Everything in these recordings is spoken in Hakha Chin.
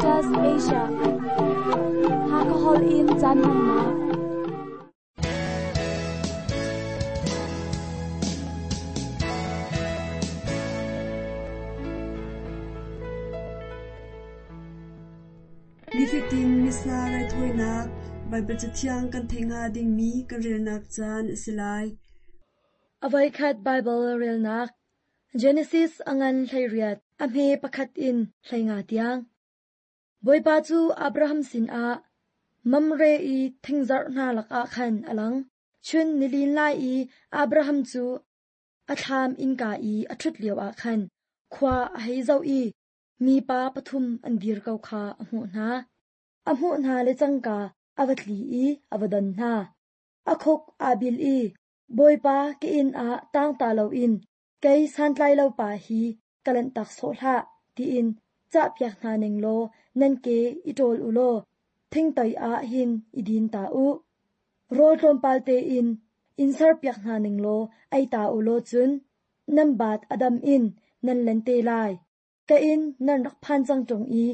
Adventist Asia. Hakahol in caan hmannak. Nifatin Missa raithawinak Baibal Cathiang kan theih hnga dingmi kan relnak caan a si lai. A voikhat Baibal relnak Genesis a ngan 18 a hme pakhat in 15 tiang. Bawipa cu Abraham sinah Mamre i thingzarh hna lakah khan a lang. Chun nilin lai i Abraham cu a thlam innka i a ṭhut lioah khan khua a hei zoh i mipa pathum an dir ko kha a hmuh hna. A hmuh hna le cangka a va tli i a va don hna. A khuk aa bil i, Bawipa ka inn ah tangta loin kei santlai lo pa hi ka lanhtak sawh hlah, tiin cahpiak hna ning law nan ke i ṭawl u law thingtoi ah hin i din ta u. Rawl tlawmpal tein in serpiak hna ning law ei ta u law cun nan baat a dam in nan len te lai. Ka inn nan rak phan cang ṭung i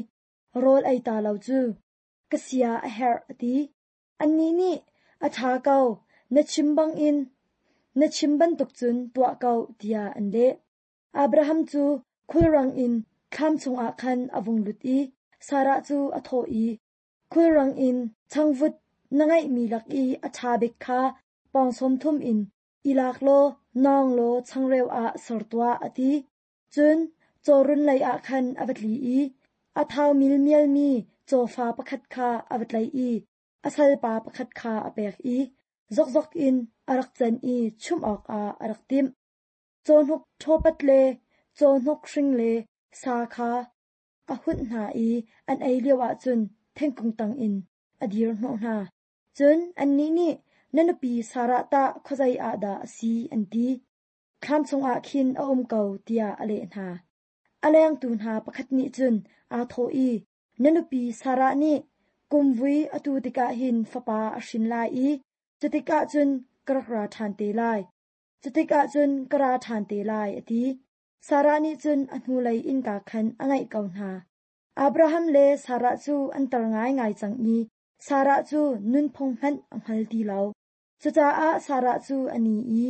rawl ei ta lo cu ka sia a herh a ti. Annih nih, A ṭha ko, na chim bangin na chim bantuk cun tuah ko, tiah an leh. Abraham cu khulrang in thlam chungah khan a vung lut i Sarah cu a thawh i, Khulrang in changvut na ngeihmi lak i a ṭha bik kha pawng sawm thum in i lak law nawng law changreu ah ser tuah, a ti. Cun cawrun leiah khan a va tli i a thau milmialmi cawfa pakhat kha a va tlaih i a salpa pakhat kha a pek i zokzok in a rak can i chumh awkah a rak timh. Cawhnuk ṭhawpat le cawhnuk hring le sa kha a hunh hna i an ei lioah cun thingkung tangin a dir hnawh hna. Cun annih nih, Na nupi Sarah tah khuazei ah dah a si? an ti. Thlam chungah khin a um ko, tiah a leh hna. A lengtu hna pakhat nih cun aa thawh i, Na nupi Sarah nih kumvui a tu tikah hin fapa a hrin lai i cutikah cun ka rak ra ṭhan te lai. Cutikah cun ka ra ṭhan te lai, a ti. Sarah nih cun a hnulei innka khan a ngaih ko hna. Abraham le Sarah cu an tar ngaingai cang i Sarah cu nunphung hmanh a hngal ti lo. Cucaah Sarah cu a ni i,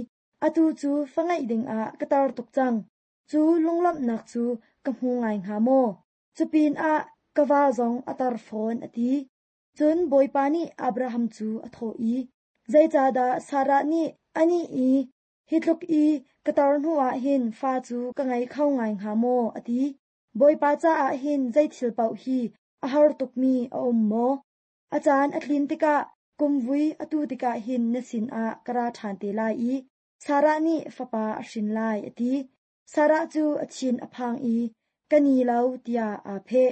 Atu cu fa ngeih dingah ka tar tuk cang. Cu lunglawmhnak cu ka hmu ngai hnga maw? Cupinah ka va zong a tar fawn, a ti. Cun Bawipa nih Abraham cu a thawh i, Zeicahdah Sarah nih anih i, Hi tluk i ka tar hnuah hin fa cu ka ngei kho ngai hnga maw? a ti. Bawipa caah hin zei thil paoh hi a har tukmi a um maw? A caan a tlin tikah kumvui a tu tikah hin na sinah ka ra ṭhan te lai i Sarah nih fapa a hrin lai, a ti. Sarah cu a thin a phang i, Ka ni lo, tiah aa pheh.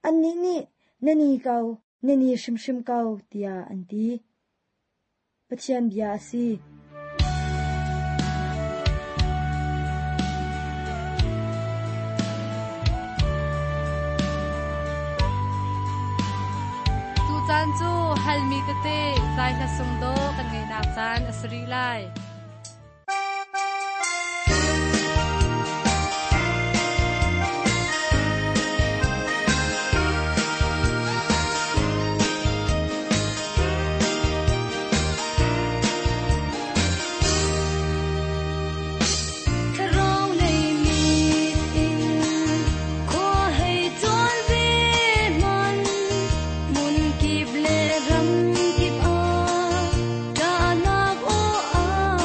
Annih nih, Na ni ko, na ni hrimhrim ko, tiah an ti. Pathian bia a si. Tucaan cu halmi tete zai hla sung dawh kan ngeihnak caan a si rih lai. Hmun kip le ram kip ah ṭahnak aw.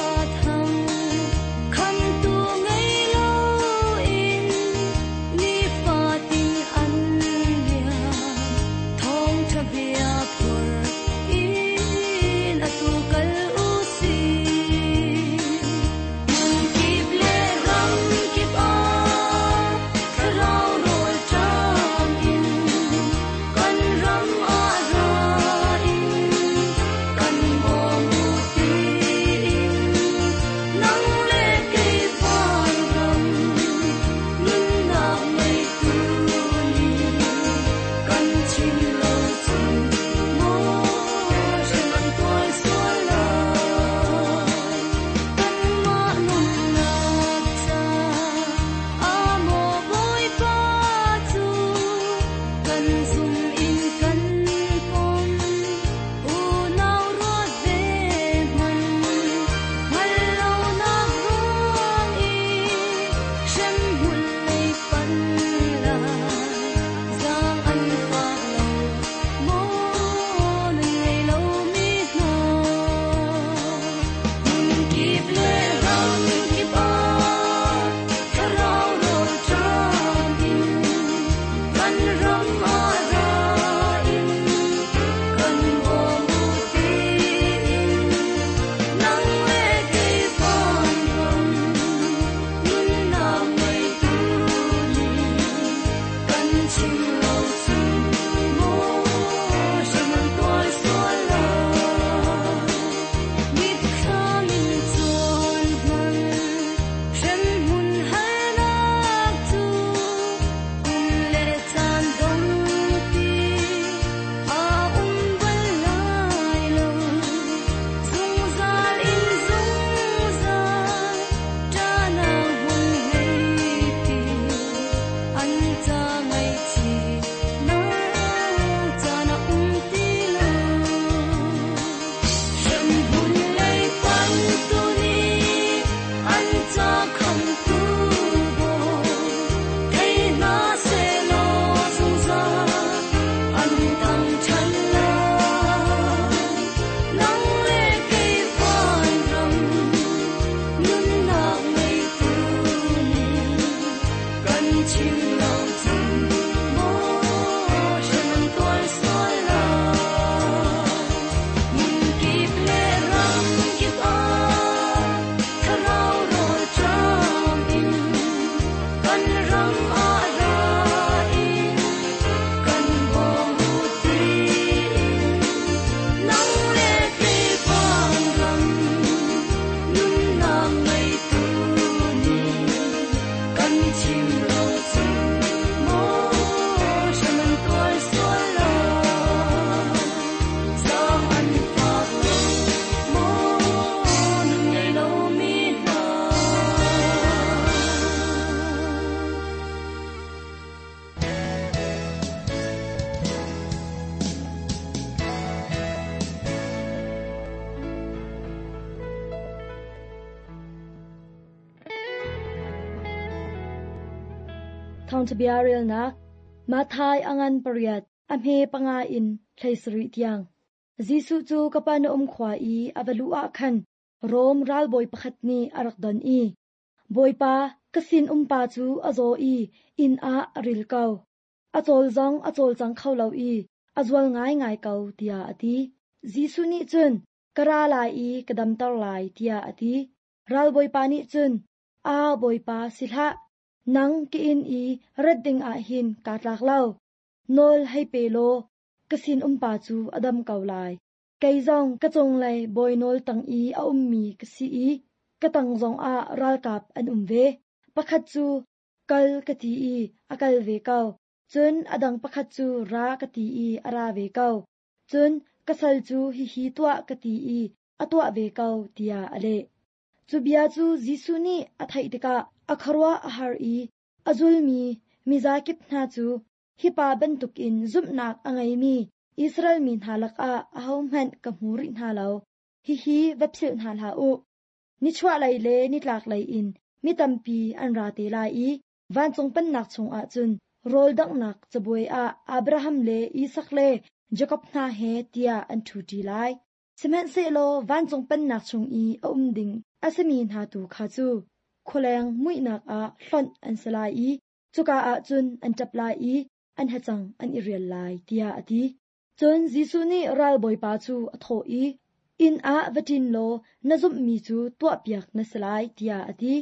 Thawngṭhabia relnak Matthai a ngan pariat, a hme panga in 17 tiang. Jesuh cu Kapernaum khua i a va luh ah khan Rom ralbawi pakhat nih a rak don i, Bawipa, ka sinumpa cu a zaw i inn ah a ril ko. A cawl zong a cawlcang kho lo i a zual ngaingai ko, tiah a ti. Jesuh nih cun, Ka ra lai i ka damter lai, tiah a ti. Ralbawipa nih cun, Aa Bawipa, si hlah! Nang ka inn i rat dingah hin kaa tlak lo. Nawl hei pe law ka sinumpa cu a dam ko lai. Kei zong ka cunglei bawi nawl tang i a ummi ka si i ka tang zongah ralkap an um ve. Pakhat cu kal ka ti i a kal ve ko, cun a dang pakhat cu ra ka ti i a ra ve ko. Cun ka sal cu hihi tuah ka ti i a tuah ve ko, tiah a leh. Cu bia cu Jesuh nih a theih tikah a khuaruah a har i a zulmi mizakip hna cu hi pa bantukin zumhnak a ngeimi Israel mi hna lakah ahohmanh ka hmu rih hna lo. Hihi va philh hna hlah u. Nichuahlei le nitlaklei in mi tampi an ra te lai i vancung pennak chungah cun rawl danghnak cabuai ah Abraham le Isak le Jakob hna he tiah an ṭhuṭi lai. Sihmanhsehlaw vancung pennak chung i a um ding a simi hna tu kha cu khualeng muihnak ah hlonh an si lai i cuka ah cun an ṭap lai i an hacang an i rial lai, tiah a ti. Cun Jesuh nih ralbawipa cu a thawh i, Inn ah va ṭin law na zumhmi cu tuahpiak na si lai, tiah a ti.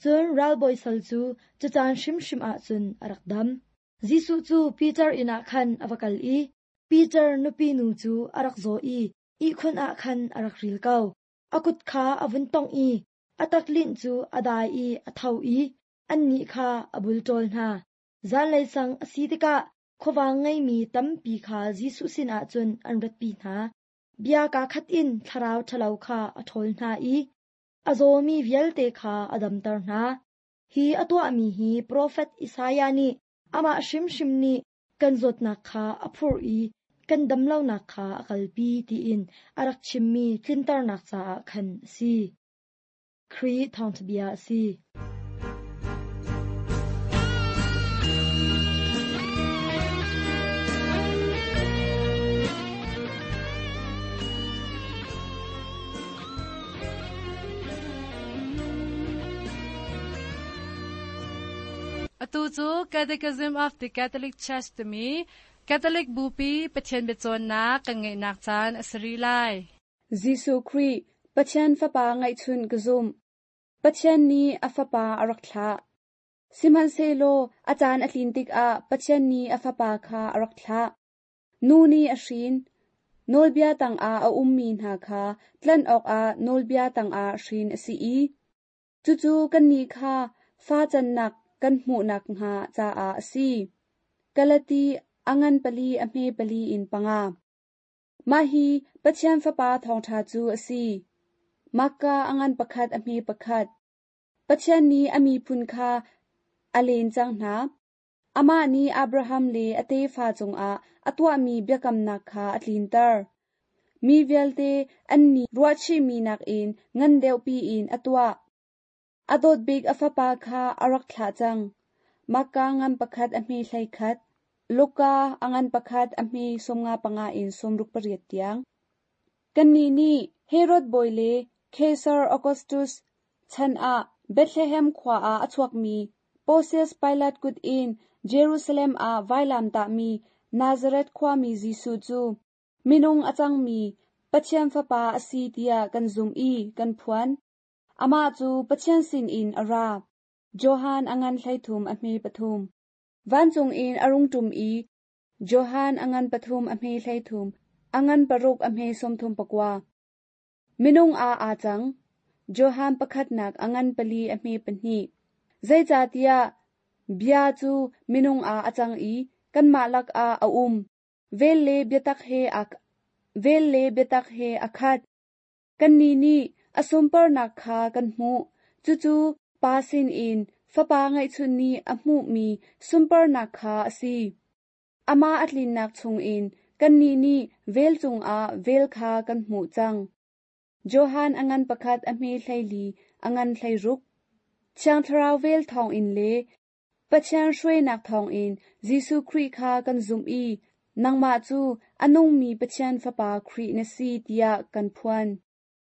Cun ralbawi sal cu cu caan hrimhrim ah cun a rak dam. Jesuh cu Peter inn ah khan a va kal i Peter nupi nu cu a rak zaw i ihkhun ah khan a rak ril ko. A kut kha a vun tongh i a taklinh cu a dai i a tho i annih kha a bulṭawl hna. Zanlei sang a si tikah khuavang ngeimi tampi kha Jesuh sinah cun an ratpi hna. Bia kaa khat in thlarau ṭhalo kha a ṭhawl hna i a zawmi vialte kha a damter hna. Hi a tuahmi hi profet Isaiah nih amah hrimhrim nih kan zawtnak kha a phurh i kan damlonak kha a kalpi tiin a rak chimmi tlinternak caah khan a si. Khrih thawngṭha bia a si. Atu cu Catechism of the Catholic Church timi Catholic Bupi Pathian biacawnnak kan ngeihnak caan a si rih lai. Jesuh Khrih, Pathian Fapa ngeihchunh ka zumh. Pathian nih a Fapa a rak thlah. Sihmanhsehlaw a caan a tlin tikah Pathian nih a Fapa kha a rak thlah. Nu nih a hrin. Nawlbia tangah a ummi hna kha tlanh awkah nawlbia tangah hrin a si i cucu kannih kha fa cannak kan hmuh nakhnga caah a si. Galati a ngan pali a hme pali in panga. Mah hi Pathian Fapa thawngṭha cu a si. Mahka a ngan pakhat a hme pakhat. Pathian nih a miphun kha a len cang hna. Amah nih Abraham le a tefa cungah a tuahmi biakamnak kha a tlinter. Mi vialte an nih ruahchihmi nakin ngan deuhpi in a tuah. A dawt bik a fapa kha a rak thlah cang. Mahka ngan pakhat a hme 11, Luka a ngan pakhat a hme 55 in 68 tiang. Kannih nih Herod bawi le Kaisar Augustus chan ah Bethlehem khua ah a chuakmi Pontius Pilat kut in Jerusalem ah vailam tahmi Nazareth khuami Jesuh cu minung a cangmi Pathian Fapa a si tiah kan zumh i kan phuan. Amah cu Pathian sinin a ra. Johan a ngan 13 a hme pathum. Vancung in a rung ṭum i Johan a ngan pathum a hme 13, a ngan paruk a hme 39. Minung ah aa cang. Johan pakhatnak a ngan pali a hme pahnih. Zeicahtiah bia cu minung ah a cang i kanmah lakah a um. Vel le biatak he a vel le biatak he a khat. Kannih nih a sunparnak kha kan hmuh, cucu Pa sinin Fapa ngeihchun nih a hmuhmi sunparnak kha a si. Amah a tlinnak chungin kannih nih vel cungah vel kha kan hmuh cang. Johan a ngan pakhat a hme 14, a ngan 16. Thiang Thlarau vel thawngin le Pathian hruainak thawngin Jesuh Khrih kha kan zumh i nangmah cu a nungmi Pathian Fapa Khrih na si tiah kan phuan.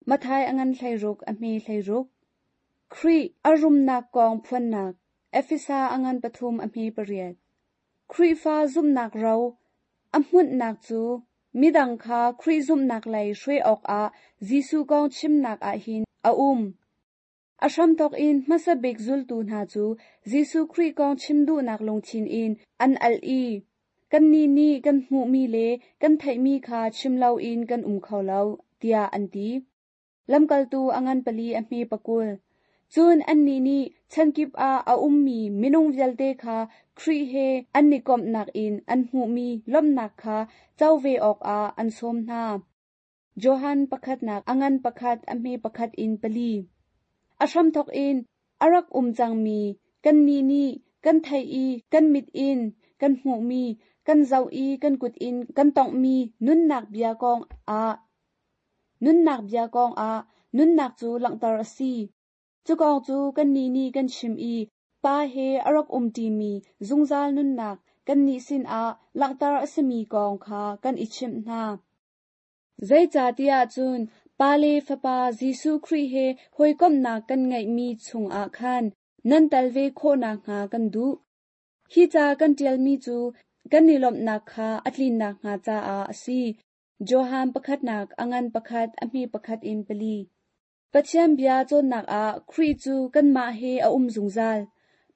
Matthai a ngan 16 a hme 16. Khrih a rumnak kong phuannak Efesa a ngan 3 a hme 8. Khrihfa zumhnak ro a hmunhnak cu midang kha Khrih zumhnak lei hruai awkah Jesuh kong chimnak ah hin a um. A hramthawk in hmasa bik zultu hna cu Jesuh Khrih kong chim duhnak lungthin in an al i kannih nih kan hmuhmi le kan theihmi kha chim loin kan um kho lo, tiah an ti. Lamkaltu a ngan 4 a hme 20. Cun annih nih chankip ah a ummi minung vialte kha Khrih he an i komhnak in an hmuhmi lawmhnak kha co ve awkah an sawm hna. Johan pakhatnak a ngan 1 a hme 1 in 4. A hramthawk in a rak um cangmi kannih nih kan theih i kan mit in kan hmuhmi, kan zoh i kan kut in kan tawnghmi nunnak bia kong ah nunnak bia kong ah nunnak cu langhter a si. Cu kong cu kannih nih kan chim i Pa he a rak umṭimi zungzal nunnak kannih sinah langhter a simi kong kha kan i chimh hna. Zeicahtiah cun Pa le Fapa Jesuh Khrih he hawikomhnak kan ngeihmi chungah khan nan tel ve khawh nakhnga kan duh. Hi ca kan ṭialmi cu kan i lawmhnak kha a tlin nakhnga caah a si. Johan pakhatnak a ngan 1 a hme 1 in 4. Pathian bia cawnnak ah Khrih cu kanmah he a um zungzal.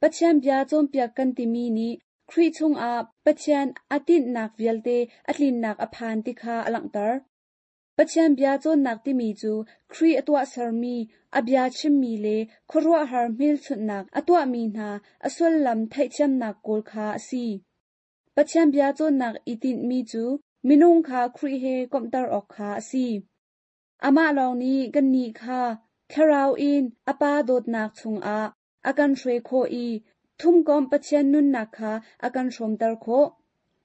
Pathian bia cawnpiak kan timi nih Khrih chungah Pathian a tinhnak vialte a tlinnak a phan ti kha a langhter. Pathian bia cawnnak timi cu Khrih a tuahsermi, a bia chimmi le khuaruahhar hmelchunhnak a tuahmi hna a sullam theihthiamnak kawl kha a si. Pathian bia cawnnak i tinhmi cu minung kha Khrih he komhter awk kha a si. Amah lawng nih kannih kha thlarau in a Pa dawtnak chungah a kan hruai khawh i thumkomh Pathian nunnak kha a kan hrawmter khawh.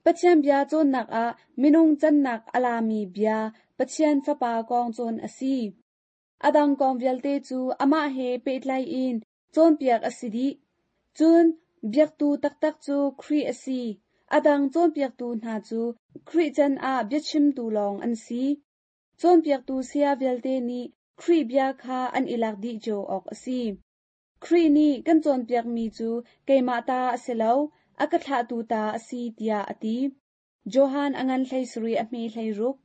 Pathian bia cawnnak ah minung cannak a lami bia Pathian Fapa kong cawn a si. A dang kong vialte cu amah he pehtlai in cawnpiak a si dih. Cun biaktu taktak cu Khrih a si. A dang cawnpiaktu hna cu Khrih can ah biachimtu lawng an si. Cawnpiaktu saya vialte nih Khrih bia kha an i lak dih cio awk a si. Khrih nih kan cawnpiakmi cu keimah ta a si lo, a ka thlahtu ta a si tiah a ti. Johan a ngan 17 a hme 16.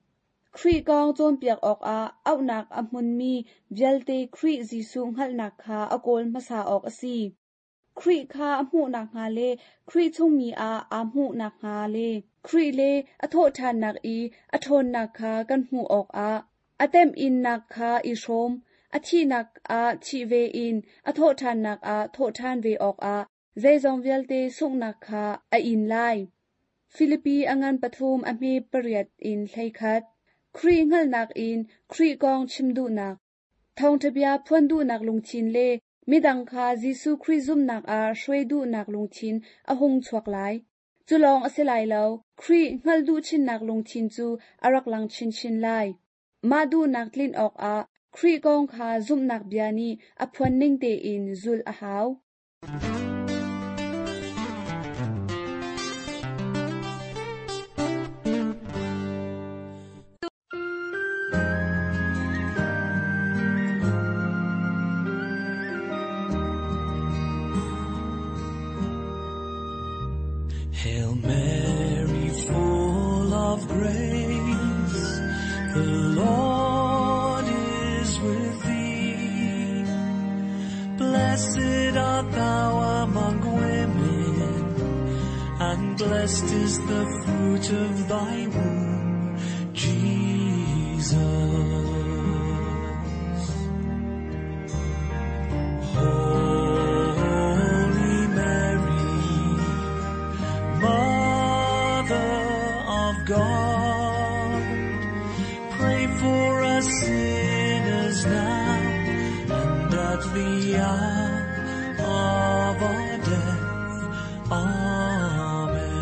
Khrih kong cawnpiak awkah auhnak a hmunmi vialte Khrih Jesuh hngalhnak kha a kawl hmasa awk a si. Khrih kha a hmuh nakhnga le Khrih chungmi ah aa hmuh nakhnga le Khrih le a thawhṭhannak i a ṭhawnnak kha kan hmuh awkah a temhinnak kha i hrawm, a thihnak ah thih ve in a thawhṭhannak ah thawhṭhan ve awkah zeizong vialte sunghnak kha a in lai. Filipi a ngan 3 a hme 8 in 11. Khrih hngalhnak in Khrih kong chim duhnak, thawngṭha bia phuan duhnak lungthin le midang kha Jesuh Khrih zumhnak ah hruai duhnak lungthin a hung chuak lai. Cu lawng a si lai lo, Khrih hngalh duh chinnak lungthin cu a rak lang chinchin lai. Mah duhnak tlin awkah Khrih kong kha zumhnak bia nih a phuan ning tein zulh a hau. Hail Mary, full of grace, the Lord is with thee. Blessed art thou among women, and blessed is the fruit of thy womb, Jesus. Holy Mary, Mother of God, pray for us sinners now and at the hour of our death. Amen.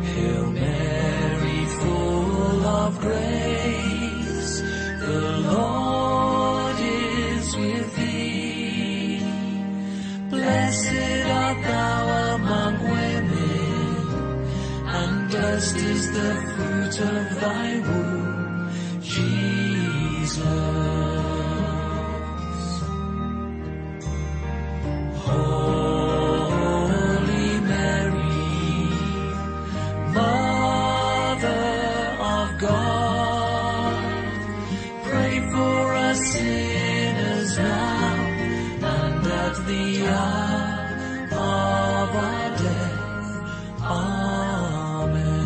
Hail Mary, full of grace, the Lord is with thee. blessed is the fruit of thy womb, Jesus. Holy Mary, Mother of God, pray for us sinners now and at the hour of our death. Amen.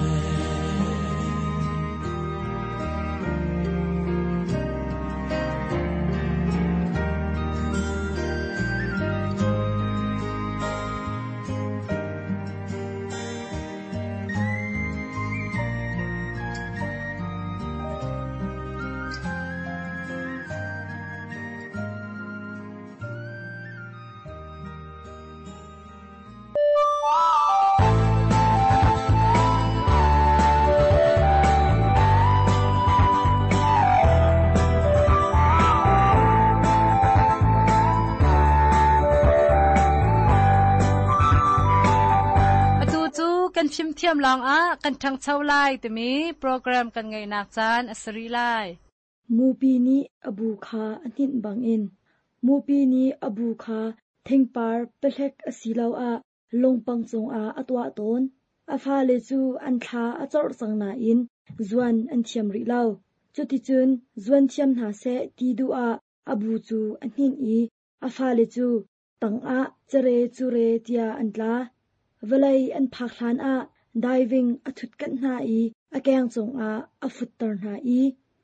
Atu cu kan fimthiam lawngah kan ṭhangcho lai timi program kan ngeihnak caan a si rih lai. Mupi nih a bu kha a hninh bangin mupi nih a bu kha thingpar pehlek asiloah lungpang cungah a tuah tawn. A fale cu an thla a corh cang nain zuan an thiam rih lo. Cuticun zuan thiam hna seh ti duh ah a bu cu a hninh i a fale cu tangah cere cure tiah an tla. Vawlei an phak hlanah diving a ṭhutkanh hna i a keng cungah a futter hna i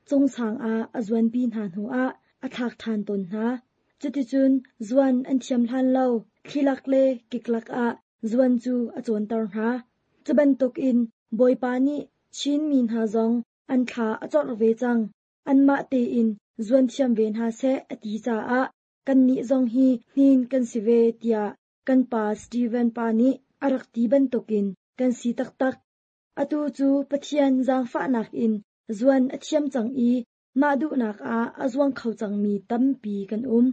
cungsang ah a zuanpi hna hnuah a thlak ṭhan tawn hna. Cuticun zuan an thiam hlan lo thlilak le kiklak ah zuan cu a cawnter hna. Cu bantukin Bawipa nih Chin mi hna zong an thla a corh ve cang. Anmah tein zuan thiam ve hna seh a ti caah kannih zong hi hnin kan si ve tiah kan pa Steven pa nih a rak ti bantukin kan si taktak. Atu cu Pathian zaangfahnak in zuan a thiam cang i mah duhnak ah a zuang kho cangmi tampi kan um.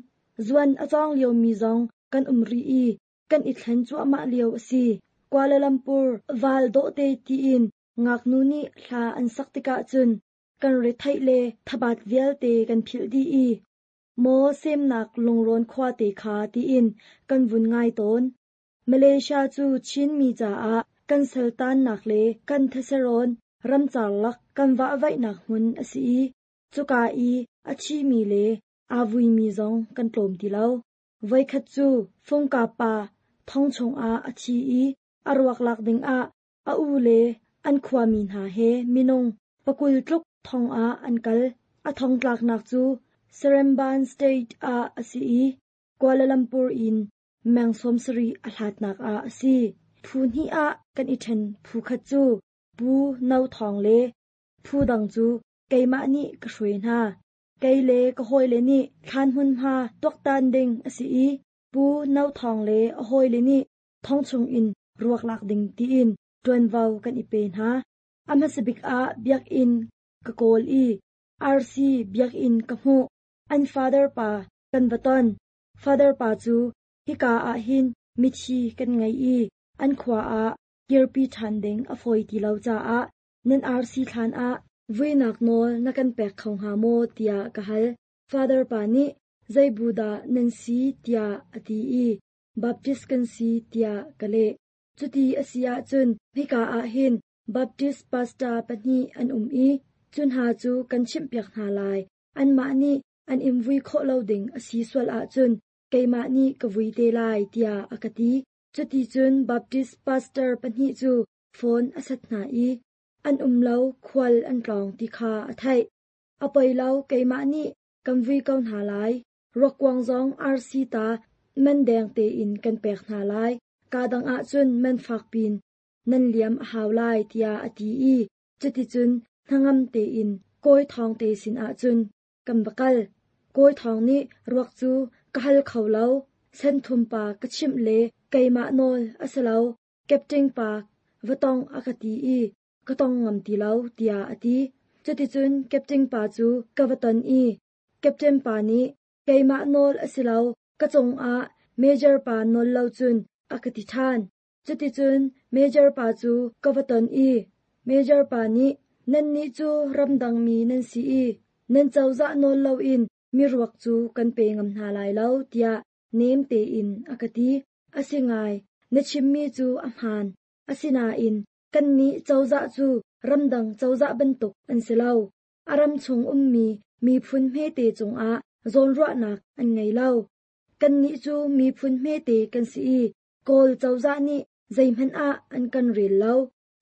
Zuan a cawng liomi zong kan um rih i kan i thlen cuahmah lio a si. Kuala Lumpur val dawhte tiin ngaknu nih hla an sak tikah cun kan retheih le thabat vialte kan philh dih i maw semnak lungrawn khuate kha tiin kan vun ngai tawn. Malaysia cu Chinmi caah kan saltannak le kan theserawn ramcar lak kan vahvaihnak hmun a si i cuka i a thimi le aa vuimi zong kan tlawm ti lo. Voikhat cu Fungka pa thong chungah a thi i a ruak lak dingah a u le an khuami hna he minung 20 tluk thong ah an kal. A thong tlaknak cu Seremban State ah a si i Kuala Lumpur in meng 70 a hlatnak ah a si. Phu hnih ah kan i ṭhen phu khat cu Pu No Thawng le phu dang cu keimah nih ka hruai hna. Kei le ka hawile nih thlan hmunhma tuaktan ding a si i Pu No Thawng le a hawile nih thong chungin ruak lak ding tiin ṭuanvo kan i pe hna. A hmasa bik ah biakinn ka kawl i RC biakinn ka hmuh. An father pa kan va ton. Father pa cu hika ah hin mithi kan ngei i an khua ah kirpi ṭhan ding a fawi ti lo caah nan RC thlan ah vuinak nawl na kan pek kho hnga maw tiah ka hal. Father pa nih zei bu dah nan si tiah a ti i Baptist kan si tiah ka leh. Cuti a si ahcun hika ah hin Baptist pastor pahnih an um i cu hna cu kan chimhpiak hna lai. Anmah nih an in vui khawh lo ding a si sual ahcun keimah nih ka vui te lai tiah a ka ti. Cuticun Baptist pastor pahnih cu phone a sat hna i an um lo khual an tlawng ti kha a theih. A poi lo keimah nih kan vui ko hna lai. Ruakkuang zong RC ta man deng tein kan pek hna lai. Ka dang ahcun man fak pin nan liam a hau lai tiah a ti i cuticun hnangam tein Kawi Thawng te sin ahcun kan va kal. Kawi Thawng nih ruak cu ka hal kho lo. Senthum pa ka chimh le keimah nawl a si lo. Captain pa va tong a ka ti i ka tong ngam ti lo tiah a ti. Cuticun captain pa cu ka va ton i captain pa nih keimah nawl a si lo, ka cungah major pa nawl lo cun a ka ti ṭhan. Cuticun major pa cu ka va ton i. Major pa nih, Nannih cu ramdangmi nan si i nan cozah nawl loin miruak cu kan pe ngam hna lai lo, tiah nem tein a ka ti. A si ngai, na chimmi cu a hmaan. Asinain kannih cozah cu ramdang cozah bantuk an si lo. A ram chung ummi miphun hmete cungah zawnruahnak an ngei lo. Kannih cu miphun hmete kan si i Kawl cozah nih zeihmanh ah an kan rel lo.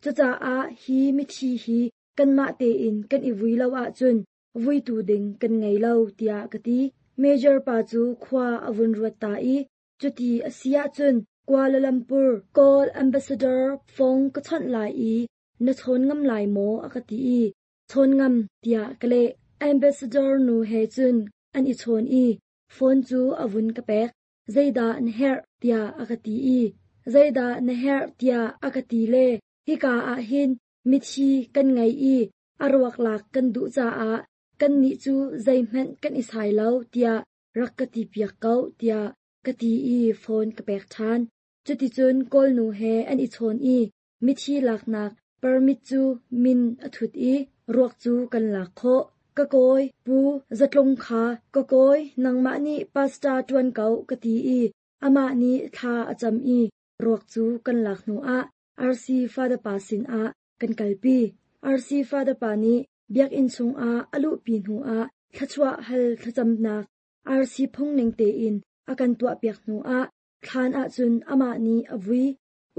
Cucaah hi mithi hi kanmah tein kan i vui lo ahcun vuitu ding kan ngei lo, tiah ka ti. Major pa cu khua a vun ruat ta i cuti a si ahcun Kuala Lumpur Kawl Ambassador phone ka chawnh lai i na chawn ngam lai maw a ka ti i chawn ngam tiah ka leh. Ambassador nu he cun an i chawn i phone cu a vun ka pek. Zeidah na herh tiah a ka ti i zeidah na herh tiah a ka ti le hika ah hin mithi kan ngei i a ruak lak kan duh caah kannih cu zeihmanh kan i sai lo tiah rak ka ti piak ko tiah ka ti i phone ka pek ṭhan. Cuticun Kawlnu he an i chawn i mithi laknak permit cu min a thut i ruak cu kan lak khawh. Ka kawi Pu Zatlung kha ka kawi nangmah nih pastor ṭuan ko ka ti i amah nih thla a cam i ruak cu kan lak hnuah RC Father pa sinah kan kalpi. RC Father pa nih biakinn chungah a luhpi hnuah thluachuah hal thlacamnak RC phungning tein a kan tuahpiak hnuah thlan ahcun amah nih a vui.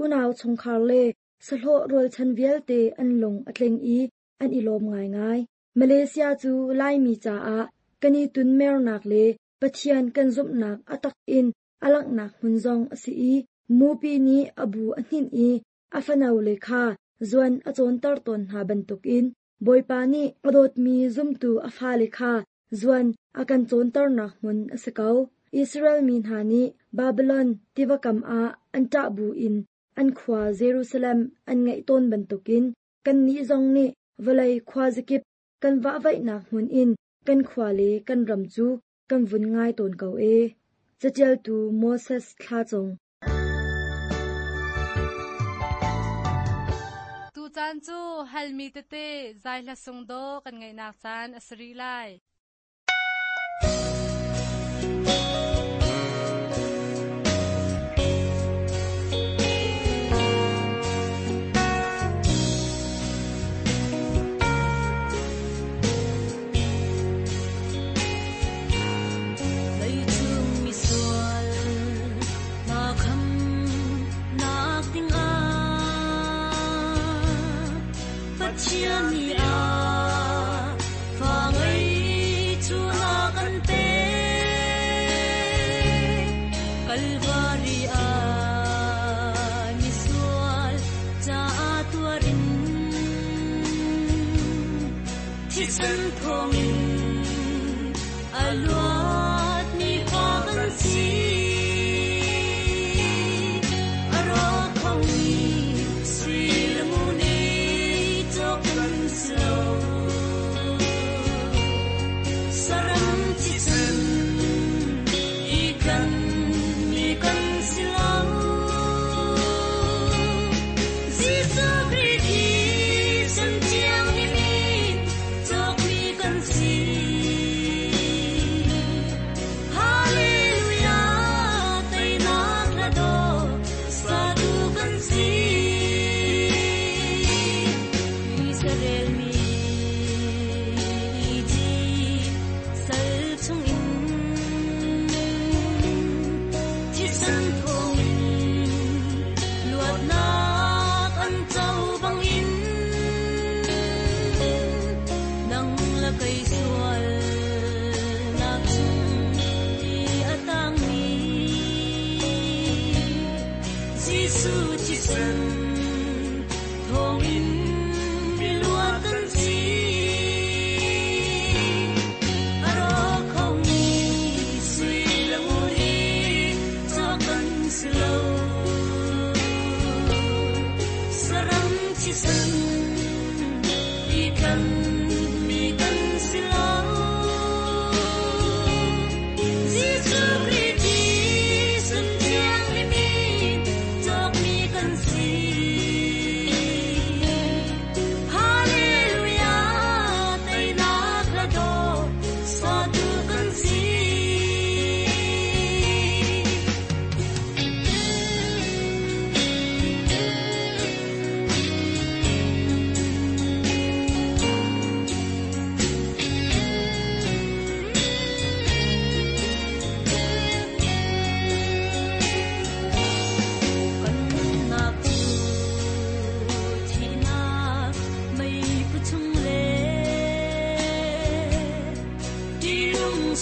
Unau chungkhar le sahlawh rualchan vialte an lung a tling i an i lawm ngaingai. Malaysia cu Laimi caah kan i tunmernak le Pathian kan zumhnak a tak in a langhnak hmun zong a si i mupi nih a bu a hninh i a fanole kha zuan a cawnter tawn hna bantukin Bawipa nih a dawtmi zumtu a fale kha zuan a kan cawnternak hmun a si ko. Israel mi hna nih Babylon tiva kam ah an ṭah buin an khua Jerusalem an ngaih tawn bantukin kannih zong nih vawlei khuazakip kan vahvaihnak hmun in kan khua le kan ram cu kan vun ngai tawn ko ee. Caṭialtu Moses Thla Cung. Tucaan cu halmi tete zai hla sung dawh kan ngaihnak caan a si rih lai.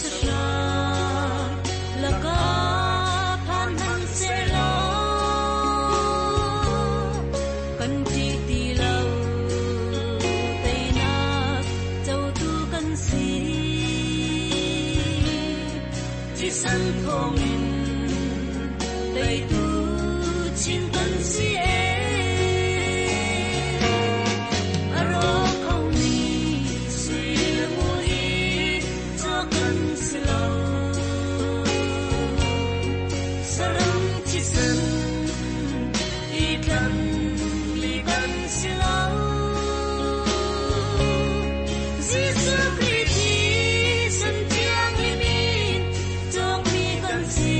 Sahrang lakah phan hmanhsehlaw kan ṭih ti lo, teinak cotu kan si. Thisen thawngin teitu chin kan si ee. A rawk khomi sui le ngun hi cawk kan si lo. Saram thisen i tlanmi kan si lo. Jesuh Khrih thisen thianghlim in cawkmi kan si.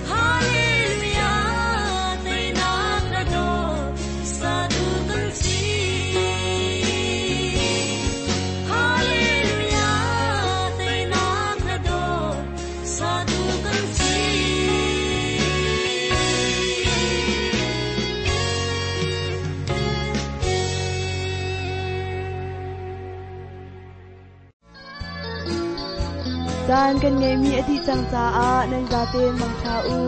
Hallelujah, teinak na dawt, satu kan si. Hallelujah, teinak na dawt, satu kan si. Caan kan ngeihmi a dih cang caah nan zaten mangṭha u.